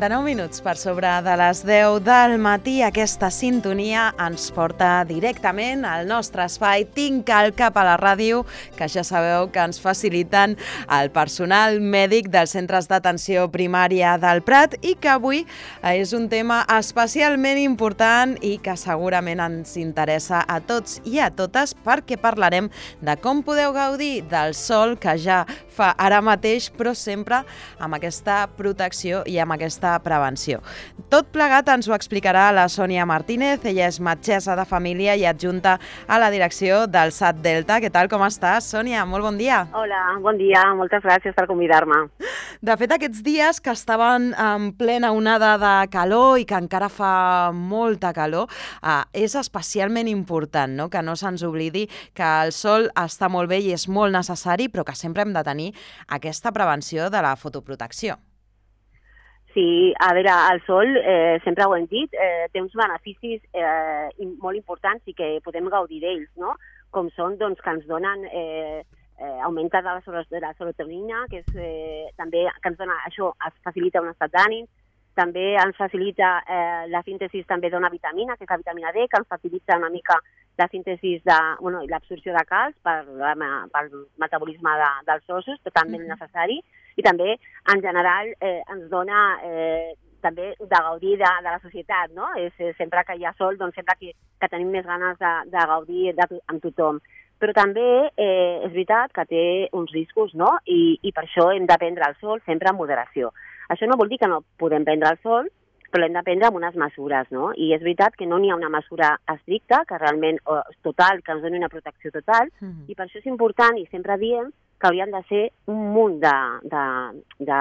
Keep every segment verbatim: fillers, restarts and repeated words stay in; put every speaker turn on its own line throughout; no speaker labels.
quaranta-nou minuts per sobre de les deu del matí. Aquesta sintonia ens porta directament al nostre espai Tinc al cap a la ràdio, que ja sabeu que ens faciliten el personal mèdic dels centres d'atenció primària del Prat i que avui és un tema especialment important i que segurament ens interessa a tots i a totes, perquè parlarem de com podeu gaudir del sol que ja fa ara mateix, però sempre amb aquesta protecció i amb aquesta prevenció. Tot plegat ens ho explicarà la Sònia Martínez. Ella és metgessa de família i adjunta a la direcció del S A T Delta. Què tal, com estàs, Sònia? Molt bon dia.
Hola, bon dia. Moltes gràcies per convidar-me.
De fet, aquests dies que estaven en plena onada de calor i que encara fa molta calor, eh, és especialment important, no?, que no se'ns oblidi que el sol està molt bé i és molt necessari, però que sempre hem de tenir aquesta prevenció de la fotoprotecció.
Sí, a veure, el sol, eh, sempre ho hem dit, eh, té uns beneficis eh, molt importants i que podem gaudir d'ells, no? Com són, doncs, que ens donen eh, eh, augmenta de la, de la serotonina, que és, eh, també que ens dona, això es facilita un estat d'ànim, també ens facilita eh, la síntesi també d'una vitamina, que és la vitamina D, que ens facilita una mica la síntesi de, bueno, i l'absorció de calç per, pel metabolisme de, dels ossos, totalment mm-hmm. necessari, i també, en general, eh, ens dona eh, també de gaudir de, de la societat, no? És, eh, sempre que hi ha sol, doncs sempre que, que tenim més ganes de, de gaudir de, amb tothom. Però també eh, és veritat que té uns riscos, no? I, i per això hem de prendre el sol sempre en moderació. Això no vol dir que no podem prendre el sol, però l'hem de prendre amb unes mesures, no? I és veritat que no n'hi ha una mesura estricta, que realment o, total, que ens doni una protecció total, mm-hmm. i per això és important, i sempre diem, que haurien de ser un munt de, de, de,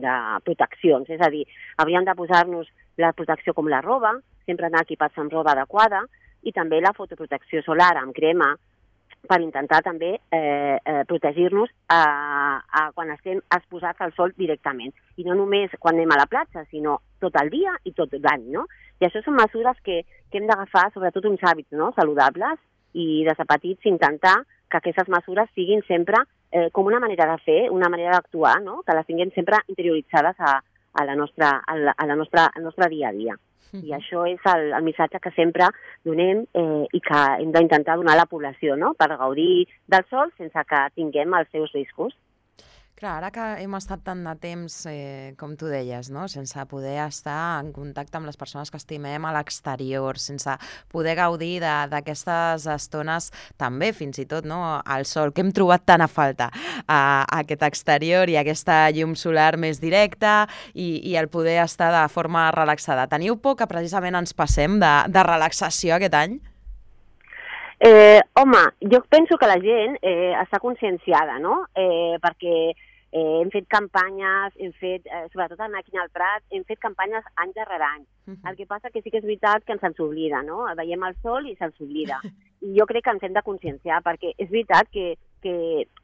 de proteccions. És a dir, hauríem de posar-nos la protecció com la roba, sempre anar equipats amb roba adequada, i també la fotoprotecció solar amb crema, per intentar també eh, eh, protegir-nos a, a quan estem exposats al sol directament. I no només quan anem a la platja, sinó tot el dia i tot l'any, no? I això són mesures que, que hem d'agafar, sobretot uns hàbits, no?, saludables, i des de petits intentar que aquestes mesures siguin sempre eh, com una manera de fer, una manera d'actuar, no?, que les tinguem sempre interioritzades a, a la nostra, a la, a la nostra, al nostre dia a dia. Mm-hmm. I això és el, el missatge que sempre donem eh, i que hem d'intentar donar a la població, no?, per gaudir del sol sense que tinguem els seus riscos.
Clar, ara que hem estat tant de temps, eh, com tu deies, no?, sense poder estar en contacte amb les persones que estimem a l'exterior, sense poder gaudir d'aquestes estones també, fins i tot, no?, al sol, que hem trobat tant a falta, a, a aquest exterior i aquesta llum solar més directa i, i el poder estar de forma relaxada. Teniu por que precisament ens passem de, de relaxació aquest any?
Eh, home, jo penso que la gent eh, està conscienciada, no?, eh, perquè Eh, hem fet campanyes, hem fet, eh, sobretot aquí al Prat, hem fet campanyes any darrere any. Uh-huh. El que passa que sí que és veritat que ens se'ns oblida, no? Veiem el sol i se'ns oblida. I jo crec que ens hem de conscienciar, perquè és veritat que, que,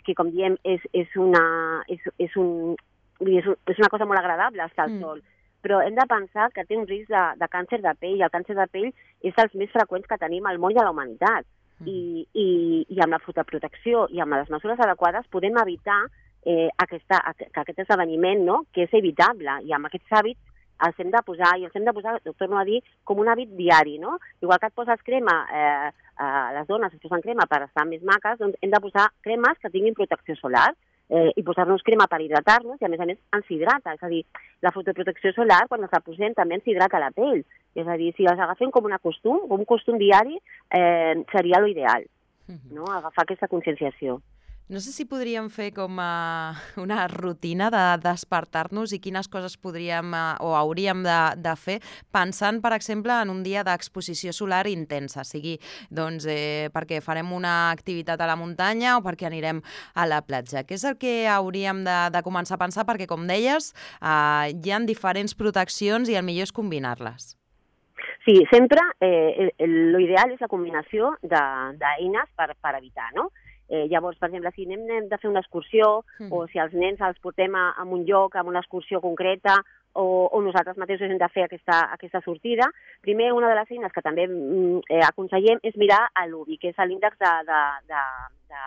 que com diem, és, és, una, és, és, un, és, un, és una cosa molt agradable estar al sol, mm. però hem de pensar que té un risc de, de càncer de pell, i el càncer de pell és dels més freqüents que tenim al moll de la humanitat. Mm. I, i, I amb la fotoprotecció i amb les mesures adequades podem evitar Eh, aquesta, que aquest esdeveniment, no?, que és evitable, i amb aquests hàbits els hem de posar, i els hem de posar, ho torno a dir, com un hàbit diari, no? Igual que et poses crema, eh, eh, les dones es posen crema per estar més maques, doncs hem de posar cremes que tinguin protecció solar, eh, i posar-nos crema per hidratar-nos, i a més a més ens hidrata, és a dir, la fotoprotecció solar, quan ens la posem, també ens hidrata la pell, és a dir, si les agafem com un costum, com un costum diari, eh, seria l'ideal, no?, agafar aquesta conscienciació.
No sé si podríem fer com uh, una rutina de despertar-nos i quines coses podríem uh, o hauríem de, de fer pensant, per exemple, en un dia d'exposició solar intensa, sigui doncs, eh, perquè farem una activitat a la muntanya o perquè anirem a la platja. Què és el que hauríem de, de començar a pensar? Perquè, com deies, uh, hi ha diferents proteccions i el millor és combinar-les.
Sí, sempre eh, l'ideal és la combinació d'eines per, per evitar, no? Eh, llavors, per exemple, si anem, anem de fer una excursió mm. o si els nens els portem a, a un lloc, a una excursió concreta o, o nosaltres mateixos hem de fer aquesta, aquesta sortida, primer una de les eines que també eh, aconsellem és mirar l'U B I, que és l'índex de, de, de, de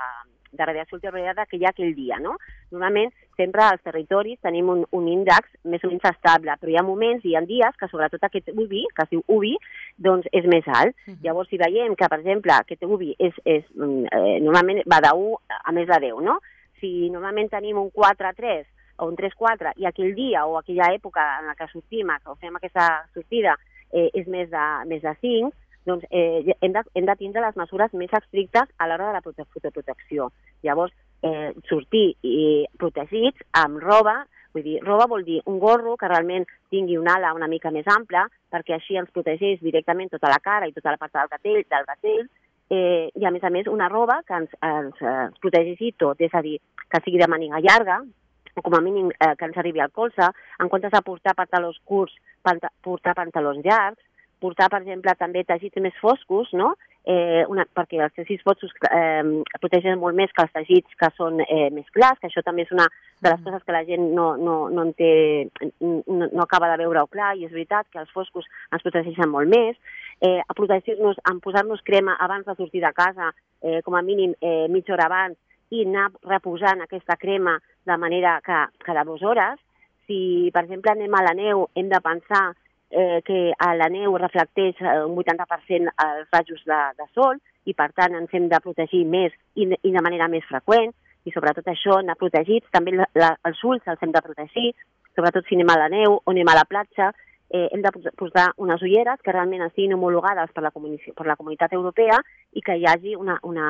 de radiació ultraviolada que hi ha aquell dia, no? Normalment, sempre als territoris tenim un, un índex més o menys estable, però hi ha moments i hi ha dies que sobretot aquest U V I, que es diu U V I, doncs és més alt. Uh-huh. Llavors, si veiem que, per exemple, aquest U V I és, és, eh, normalment va de u a més de deu, no? Si normalment tenim un quatre a tres o un tres a quatre i aquell dia o aquella època en la que sortim, que fem aquesta sortida, eh, és més de, més de cinc, doncs eh, hem, de, hem de tindre les mesures més estrictes a l'hora de la prote fotoprotecció. Llavors, eh, sortir i protegits amb roba, vull dir, roba vol dir un gorro que realment tingui una ala una mica més ampla, perquè així ens protegeix directament tota la cara i tota la part del gatell, del gatell, eh, i a més a més una roba que ens, ens, ens protegeixi tot, és a dir, que sigui de màniga llarga, o com a mínim eh, que ens arribi al colze, en comptes de portar pantalons curts, panta portar pantalons llargs, portar, per exemple, també teixits més foscos, no? eh, una, perquè els teixits foscos eh, protegen molt més que els teixits que són eh, més clars, que això també és una de les coses que la gent no, no, no, en té, no, no acaba de veure-ho clar, i és veritat que els foscos ens protegeixen molt més. Eh, a protegir-nos, en posar-nos crema abans de sortir de casa, eh, com a mínim eh, mitja hora abans, i anar reposant aquesta crema de manera que cada dues hores. Si, per exemple, anem a la neu, hem de pensar Eh, que a la neu reflecteix un vuitanta per cent els rajos de, de sol i, per tant, ens hem de protegir més i, i de manera més freqüent, i sobretot això, anar protegits. També la, la, els ulls els hem de protegir, sobretot si anem a la neu o anem a la platja. Eh, hem de posar unes ulleres que realment estiguin homologades per la, per la Comunitat Europea i que hi hagi una, una,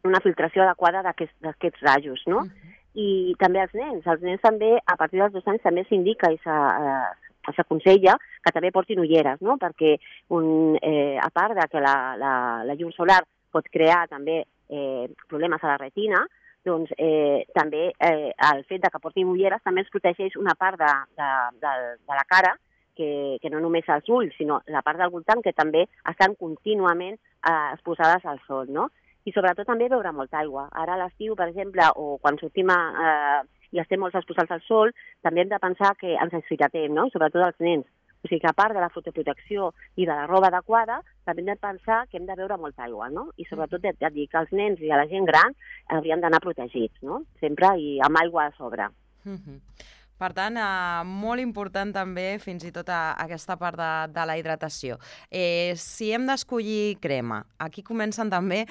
una filtració adequada d'aquests rajos, no? Uh-huh. I també els nens. Els nens també, a partir dels dos anys, també s'indica i s'aconsella que també portin ulleres, no? Perquè un, eh, a part de que la, la, la llum solar pot crear també eh, problemes a la retina, doncs eh, també eh, el fet de que portin ulleres també ens protegeix una part de, de, de, de la cara, que, que no només els ulls, sinó la part del voltant, que també estan contínuament eh, exposades al sol, no? I sobretot també beure molta aigua. Ara a l'estiu, per exemple, o quan sortim a, eh, i estem molt exposats al sol, també hem de pensar que ens deshidratem, no? I sobretot els nens. O sigui que a part de la fotoprotecció i de la roba adequada, també hem de pensar que hem de beure molta aigua, no? I sobretot ja et dic que els nens i a la gent gran haurien d'anar protegits, no? Sempre i amb aigua a sobre.
Mm-hmm. Per tant, eh, molt important també fins i tot a, a aquesta part de, de la hidratació. Eh, si hem d'escollir crema, aquí comencen també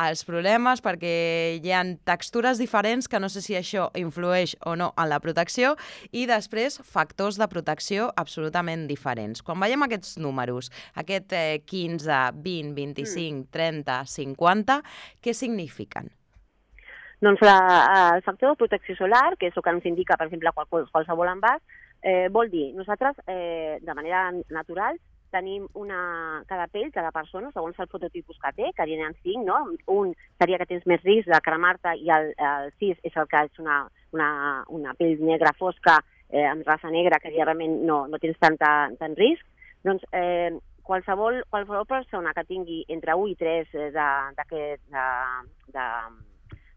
els problemes perquè hi ha textures diferents que no sé si això influeix o no en la protecció, i després factors de protecció absolutament diferents. Quan veiem aquests números, aquest eh, quinze, vint, vint-i-cinc, trenta, cinquanta, què signifiquen?
Doncs la, el factor de protecció solar, que és el que ens indica, per exemple, qual, qualsevol envàs, eh, vol dir, nosaltres, eh, de manera natural, tenim una, cada pell, cada persona, segons el fototipus que té, que n'hi ha cinc, no? Un seria que tens més risc de cremar-te i el, el sis és el que és una, una, una pell negra fosca, eh, amb raça negra, que realment no, no tens tanta, tant risc. Doncs eh, qualsevol, qualsevol persona que tingui entre u i tres de, de, de, de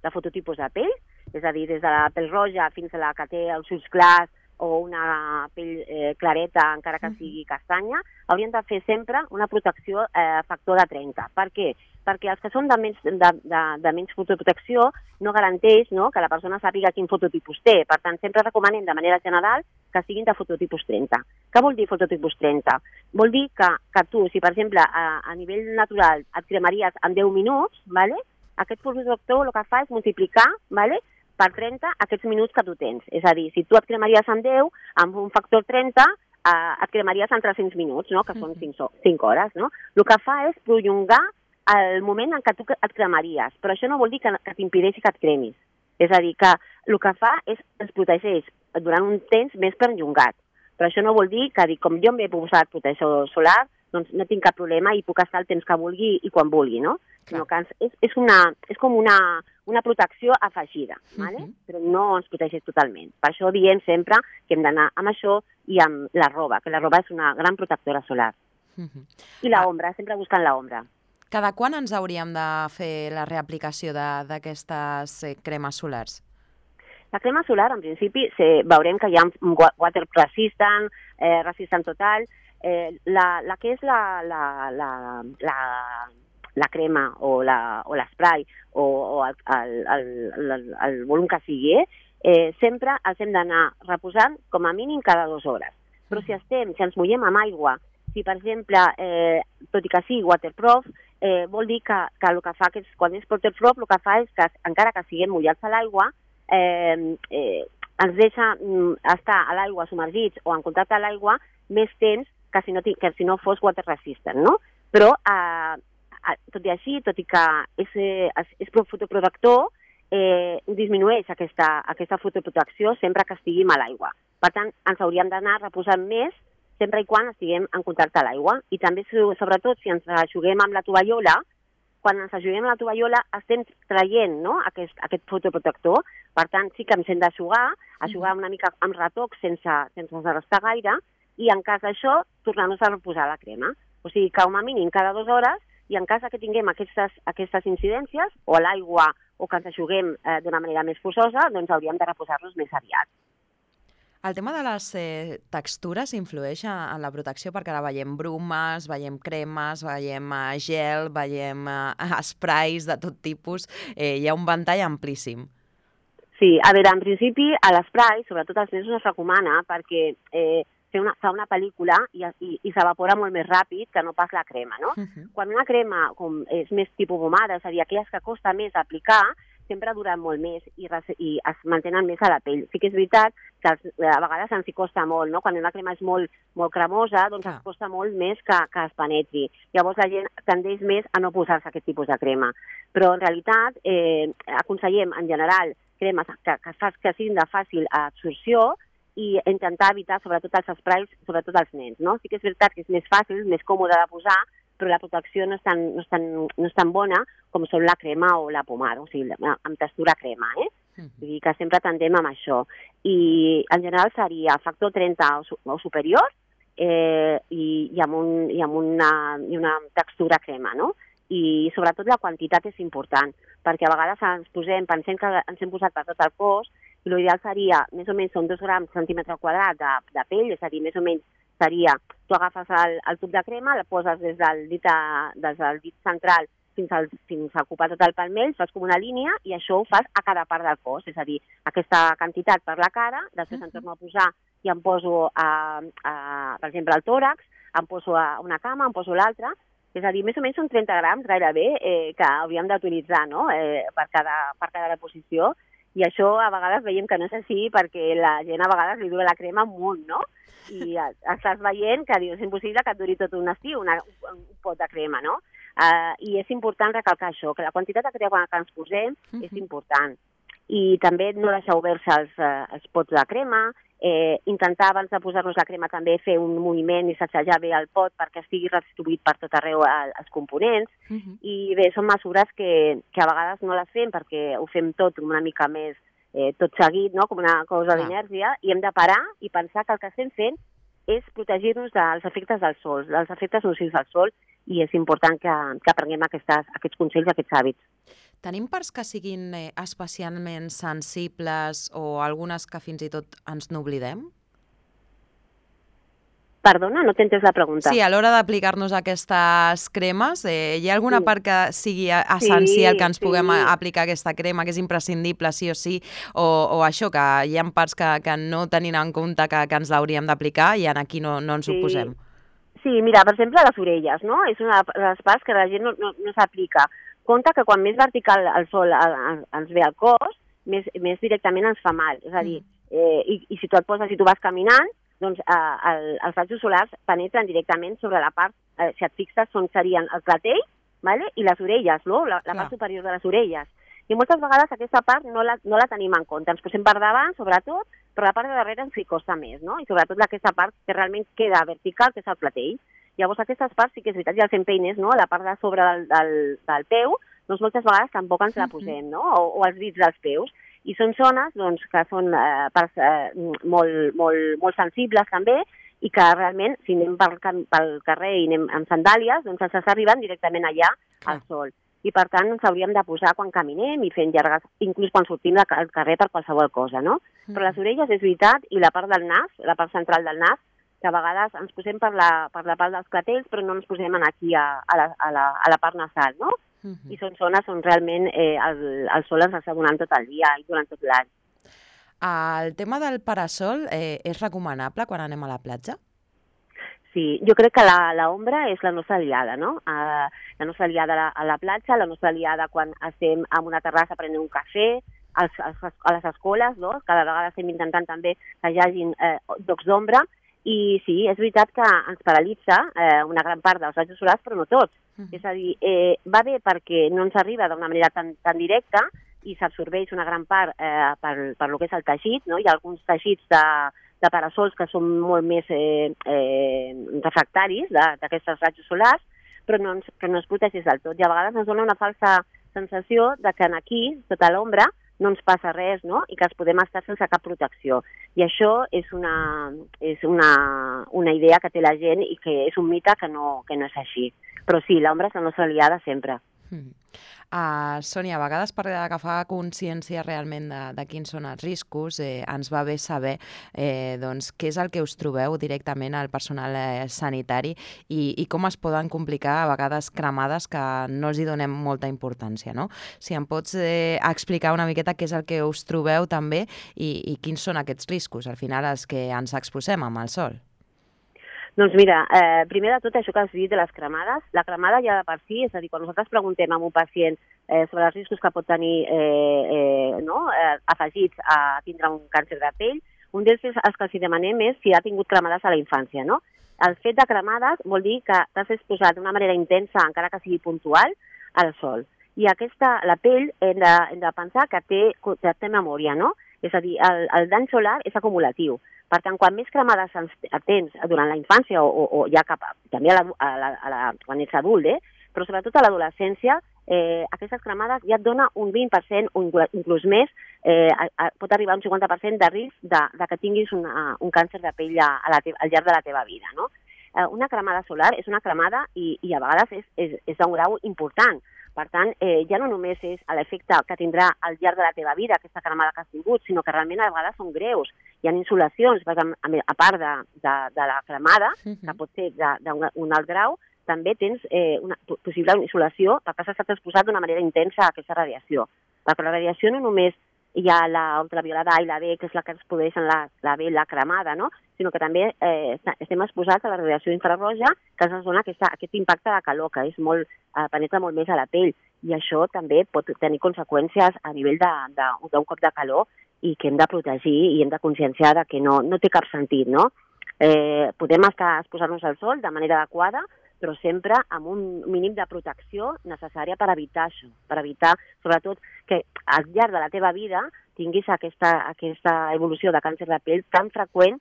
de fototipus de pell, és a dir, des de la pell roja fins a la que té els ulls clars o una pell eh, clareta, encara que sigui castanya, haurien de fer sempre una protecció eh, factor de trenta. Per què? Perquè els que són de menys, de, de, de menys fotoprotecció no garanteix, no?, que la persona sàpiga quin fototipus té. Per tant, sempre recomanem de manera general que siguin de fototipus trenta. Què vol dir fototipus trenta? Vol dir que, que tu, si per exemple a, a nivell natural et cremaries en deu minuts, ¿vale?, aquest fotodetector el que fa és multiplicar, ¿vale?, per trenta aquests minuts que tu tens. És a dir, si tu et cremaries en deu, amb un factor trenta, eh, et cremaries en tres-cents minuts, no?, que són cinc hores, no? El que fa és prolongar el moment en què tu et cremaries, però això no vol dir que, que t'impedeixi que et cremis. És a dir, que el que fa és ens protegeix durant un temps més perllongat. Però això no vol dir que, com jo m'he posat protecció solar, doncs no tinc cap problema i puc estar el temps que vulgui i quan vulgui, no? Sinó que és, és, una, és com una, una protecció afegida, ¿vale? Uh-huh. Però no ens protegeix totalment. Per això diem sempre que hem d'anar amb això i amb la roba, que la roba és una gran protectora solar. Uh-huh. I la ombra, sempre buscant la ombra.
Cada quan ens hauríem de fer la reaplicació d'aquestes eh, cremes solars?
La crema solar, en principi, se, veurem que hi ha water resistant, eh, resistant total. Eh, la, la que és la, la, la, la, la crema o l'esprai o, o el, el, el, el, el volum que sigui, eh, sempre els hem d'anar reposant com a mínim cada dues hores. Però si estem, si ens mullem amb aigua, si per exemple, eh, tot i que sigui waterproof, eh, vol dir que, que el que fa, que és, quan és waterproof, el que fa és que encara que siguem mullats a l'aigua, eh, eh, ens deixa mm, estar a l'aigua submergits o en contacte a l'aigua més temps que si no, que si no fos water resistant, no? Però, eh, tot i així, tot i que és, és, és fotoprotector, eh, disminueix aquesta, aquesta fotoprotecció sempre que estiguem a l'aigua. Per tant, ens hauríem d'anar reposant més sempre i quan estiguem en contacte a l'aigua. I també, sobretot, si ens juguem amb la tovallola, quan ens juguem amb la tovallola estem traient, no?, aquest, aquest fotoprotector. Per tant, sí que ens hem d'aixugar, aixugar una mica amb retoc sense, sense desgastar gaire, i en cas d'això, tornar-nos a reposar la crema. O sigui, que com a mínim cada dues hores, i en cas que tinguem aquestes, aquestes incidències, o a l'aigua, o que ens aixuguem eh, d'una manera més forçosa, doncs hauríem de reposar-nos més aviat.
El tema de les eh, textures influeix en la protecció, perquè ara veiem brumes, veiem cremes, veiem eh, gel, veiem eh, sprays de tot tipus. Eh, hi ha un ventall amplíssim.
Sí, a veure, en principi, a l'esprai, sobretot als nens, no es recomana perquè eh, Una, fa una pel·lícula i, i, i s'evapora molt més ràpid que no pas la crema, no? Uh-huh. Quan una crema com és més tipus pomada, és a dir, aquelles que costa més aplicar, sempre duren molt més i, i es mantenen més a la pell. Sí que és veritat que els, a vegades ens hi costa molt, no? Quan una crema és molt, molt cremosa, doncs uh-huh. es costa molt més que, que es penetri. Llavors la gent tendeix més a no posar-se aquest tipus de crema. Però en realitat eh, aconsellem en general cremes que, que, que siguin de fàcil absorció i intentar evitar sobretot els sprays, sobretot els nens, no? Sí que és veritat que és més fàcil, més còmode de posar, però la protecció no és tan, no és tan, no és tan bona com són la crema o la pomada, o sigui, amb textura crema, eh? Uh-huh. Vull dir que sempre tendem amb això. I en general seria factor trenta o, o superior eh, i, i, amb un, i amb una, i una textura crema, no? I sobretot la quantitat és important, perquè a vegades ens posem, pensem que ens hem posat per tot el cos, i l'ideal seria, més o menys, són dos grams centímetre quadrat de, de pell, és a dir, més o menys seria, tu agafes el, el tub de crema, la poses des del dit, a, des del dit central fins, al, fins a ocupar tot el palmell, fas com una línia i això ho fas a cada part del cos, és a dir, aquesta quantitat per la cara, després uh-huh. em torno a posar i em poso, a, a, per exemple, al tòrax, em poso a una cama, em poso l'altra, és a dir, més o menys són trenta grams gairebé eh, que hauríem d'utilitzar, no?, eh, per, cada, per cada posició. I això a vegades veiem que no és així perquè la gent a vegades li dura la crema un munt, no? I estàs veient que dius, és impossible que et duri tot un estiu, una, un pot de crema, no? Uh, I és important recalcar això, que la quantitat de crema que ens posem uh-huh. és important. I també no deixar oberts els, uh, els pots de crema, eh, intentar abans de posar-nos la crema també fer un moviment i sacsejar bé el pot perquè estigui redistribuït per tot arreu els components. Uh-huh. I bé, són mesures que, que a vegades no les fem perquè ho fem tot una mica més eh, tot seguit, no? Com una cosa d'inèrcia, i hem de parar i pensar que el que estem fent és protegir-nos dels efectes del sol, dels efectes nocius del sol, i és important que, que aprenguem aquestes, aquests consells, aquests hàbits.
Tenim parts que siguin eh, especialment sensibles o algunes que fins i tot ens n'oblidem?
Perdona, no t'entens la pregunta.
Sí, a l'hora d'aplicar-nos aquestes cremes, eh, hi ha alguna sí. part que sigui essencial sí, que ens sí. puguem aplicar aquesta crema, que és imprescindible sí o sí, o, o això, que hi ha parts que, que no tenint en compte que, que ens l'hauríem d'aplicar i aquí no, no ens sí. ho posem?
Sí, mira, per exemple, les orelles, no? És una de les parts que la gent no, no, no s'aplica. Compte que quan més vertical el sol ens ve al cos, més, més directament ens fa mal. És a dir, eh, i, i si tu et poses, si tu vas caminant, doncs eh, el, els rajos solars penetren directament sobre la part, eh, si et fixes, són, serien el clatell, vale? I les orelles, no? la, la part superior de les orelles. I moltes vegades aquesta part no la, no la tenim en compte. Ens posem per davant, sobretot, però la part de darrere ens hi costa més, no? I sobretot aquesta part que realment queda vertical, que és el clatell. Llavors aquestes parts sí que és veritat, ja els empeines, no? La part de sobre del, del, del peu, doncs moltes vegades tampoc ens la posem, no? O, o els dits dels peus. I són zones doncs, que són eh, parts eh, molt, molt, molt sensibles també i que realment, si anem pel, pel carrer i anem amb sandàlies, doncs ens està arribant directament allà al sol. I per tant ens hauríem de posar quan caminem i fent llargues, inclús quan sortim del carrer per qualsevol cosa, no? Però les orelles és veritat i la part del nas, la part central del nas, que a vegades ens posem per la, per la part dels clatells, però no ens posem aquí a, a, la, a, la, a la part nasal, no? Uh -huh. I són zones on realment eh, el, el sol ens està donant tot el dia i durant tot l'any.
El tema del parasol eh, és recomanable quan anem a la platja?
Sí, jo crec que l'ombra és la nostra aliada, no? Uh, la nostra aliada a la, a la platja, la nostra aliada quan estem en una terrassa prenent un cafè, als, als, a les escoles, no? Cada vegada estem intentant també que hi hagin eh, llocs d'ombra, i sí, és veritat que ens paralitza eh, una gran part dels rajos solars, però no tots. Uh -huh. És a dir, eh, va bé perquè no ens arriba d'una manera tan, tan directa i s'absorbeix una gran part eh, per, per lo que és el teixit, no? Hi ha alguns teixits de, de parasols que són molt més eh, eh, refractaris d'aquests rajos solars, però no, ens, que no es protegeix del tot. I a vegades ens dona una falsa sensació de que aquí, sota l'ombra, no ens passa res, no? I que ens podem estar sense cap protecció. I això és una, és una, una idea que té la gent i que és un mite que no, que no és així. Però sí, l'ombra és la nostra aliada sempre.
Mm. Uh, Sònia, a vegades per agafar consciència realment de, de quins són els riscos, eh, ens va bé saber eh, doncs, què és el que us trobeu directament al personal eh, sanitari i, i com es poden complicar a vegades cremades que no els hi donem molta importància, no? Si em pots eh, explicar una miqueta què és el que us trobeu també i, i quins són aquests riscos, al final, els que ens exposem amb el sol.
Doncs mira, eh, primer de tot això que has dit de les cremades, la cremada ja de per si, és a dir, quan nosaltres preguntem a un pacient eh, sobre els riscos que pot tenir eh, eh, no, eh, afegits a tindre un càncer de pell, un dels els que els demanem és si ha tingut cremades a la infància, no? El fet de cremades vol dir que t'has exposat d'una manera intensa, encara que sigui puntual, al sol. I aquesta, la pell, hem de, hem de pensar que té, que té memòria, no? És a dir, el, el dany solar és acumulatiu. Per tant, quan més cremades tens durant la infància o, o, o ja cap a, també a la, a la, a la, quan ets adult, eh? Però sobretot a l'adolescència, eh, aquestes cremades ja et dona un vint per cent o inclús més, eh, a, a, pot arribar a un cinquanta per cent de risc de, de que tinguis una, un càncer de pell a, a la te, al llarg de la teva vida, no? Eh, una cremada solar és una cremada i, i a vegades és, és, és d'un grau important. Per tant, eh, ja no només és l'efecte que tindrà al llarg de la teva vida aquesta cremada que has tingut, sinó que realment a vegades són greus. Hi ha insolacions, perquè a part de, de, de la cremada, que pot ser d'un alt grau, també tens eh, una possible insolació perquè has estat exposat d'una manera intensa a aquesta radiació. Perquè la radiació no només hi ha la ultraviolada A i la B, que és la que ens produeix la, la B, la cremada, no? Sinó que també eh, estem exposats a la radiació infrarroja, que ens dona aquesta, aquest impacte de calor, que és molt, eh, penetra molt més a la pell. I això també pot tenir conseqüències a nivell d'un cop de calor i que hem de protegir i hem de conscienciar que no, no té cap sentit, no? Eh, podem estar exposant-nos al sol de manera adequada, però sempre amb un mínim de protecció necessària per evitar això, per evitar, sobretot, que al llarg de la teva vida tinguis aquesta, aquesta evolució de càncer de pell tan freqüent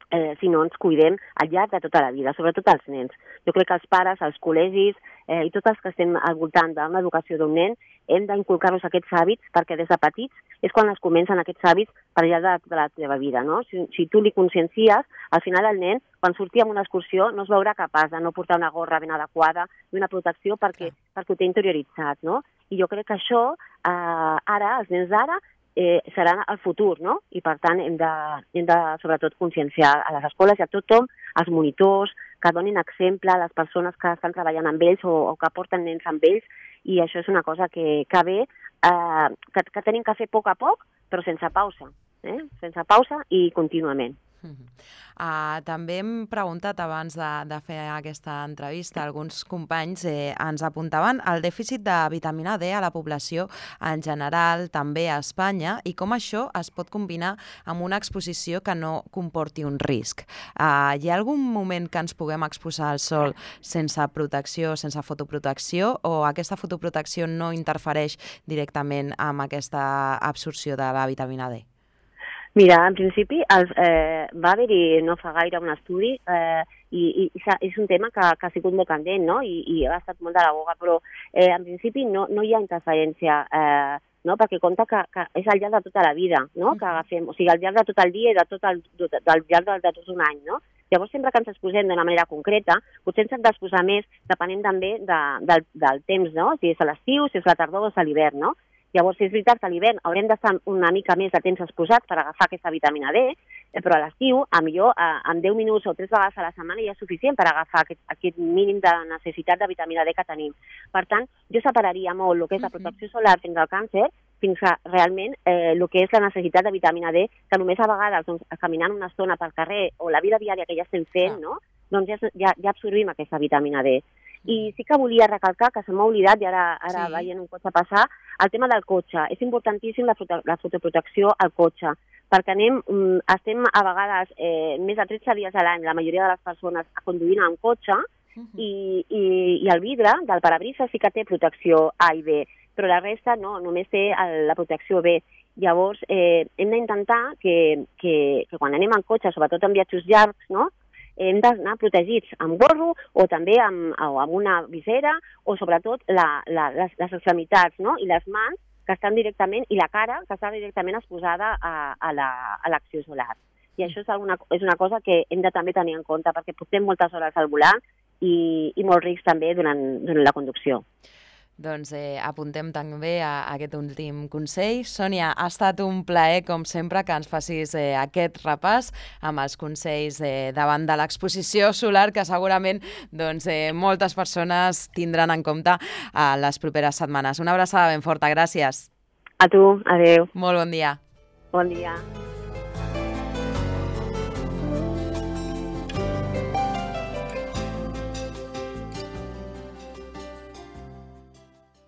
eh, si no ens cuidem al llarg de tota la vida, sobretot els nens. Jo crec que els pares, els col·legis eh, i tots els que estem al voltant d'una educació d'un nen hem d'inculcar-nos aquests hàbits perquè des de petits és quan es comencen aquests hàbits per al llarg de, de la teva vida, no? Si, si tu li consciencies, al final el nen, quan surti en una excursió, no es veurà capaç de no portar una gorra ben adequada i una protecció perquè, perquè ho té interioritzat, no? I jo crec que això, eh, ara, els nens d'ara, eh, serà el futur, no? I per tant hem de, hem de sobretot conscienciar a les escoles i a tothom, als monitors, que donin exemple a les persones que estan treballant amb ells o, o que porten nens amb ells, i això és una cosa que, que ve, eh, que, que tenim que fer a poc a poc, però sense pausa, eh? Sense pausa i contínuament.
Uh, també hem preguntat abans de, de fer aquesta entrevista, alguns companys eh, ens apuntaven el dèficit de vitamina D a la població en general, també a Espanya, i com això es pot combinar amb una exposició que no comporti un risc. Uh, hi ha algun moment que ens puguem exposar al sol sense protecció, sense fotoprotecció, o aquesta fotoprotecció no interfereix directament amb aquesta absorció de la vitamina D?
Mira, en principi els, eh, va haver-hi no fa gaire un estudi eh, i, i, i és un tema que, que ha sigut molt candent, no? I, i ha estat molt de la boga, però eh, en principi no, no hi ha interferència, eh, no? Perquè compta que, que és al llarg de tota la vida, no? Que agafem, o sigui, al llarg de tot el dia i de tot el, de, del llarg de, de tot un any, no? Llavors, sempre que ens exposem d'una manera concreta, potser ens hem d'exposar més depenent també de, del, del temps, no? Si és a l'estiu, si és la tardor o és a l'hivern, no? Llavors, és veritat que a l'hivern haurem d'estar una mica més de temps exposats per agafar aquesta vitamina D, però a l'estiu, a millor, en deu minuts o tres vegades a la setmana ja és suficient per agafar aquest, aquest mínim de necessitat de vitamina D que tenim. Per tant, jo separaria molt el que és la protecció solar fins al càncer, fins a realment eh, el que és la necessitat de vitamina D, que només a vegades, doncs, caminant una estona pel carrer o la vida diària que ja estem fent, no? doncs ja, ja, ja absorbim aquesta vitamina D. I sí que volia recalcar, que se m'ha oblidat, i ara, ara sí. veient un cotxe passar, el tema del cotxe. És importantíssim la, foto, la fotoprotecció al cotxe, perquè anem, estem a vegades eh, més de tretze dies a l'any, la majoria de les persones conduint amb cotxe, uh -huh. i, i, i el vidre del parabrisa sí que té protecció A i B, però la resta no, només té la protecció B. Llavors, eh, hem d'intentar que, que, que quan anem en cotxe, sobretot en viatges llargs, no?, hem d'anar protegits amb gorro o també amb, o amb una visera o sobretot la, la, les, les extremitats, no?, i les mans que estan directament, i la cara que està directament exposada a, a l'acció la, solar. I això és, alguna, és una cosa que hem de també tenir en compte perquè portem moltes hores al volant i, i molt risc també durant, durant la conducció.
Doncs eh, apuntem també a, a aquest últim consell. Sònia, ha estat un plaer, com sempre, que ens facis eh, aquest repàs amb els consells eh, davant de l'exposició solar que segurament doncs, eh, moltes persones tindran en compte a les properes setmanes. Una abraçada ben forta, gràcies.
A tu, adeu.
Molt bon dia.
Bon dia.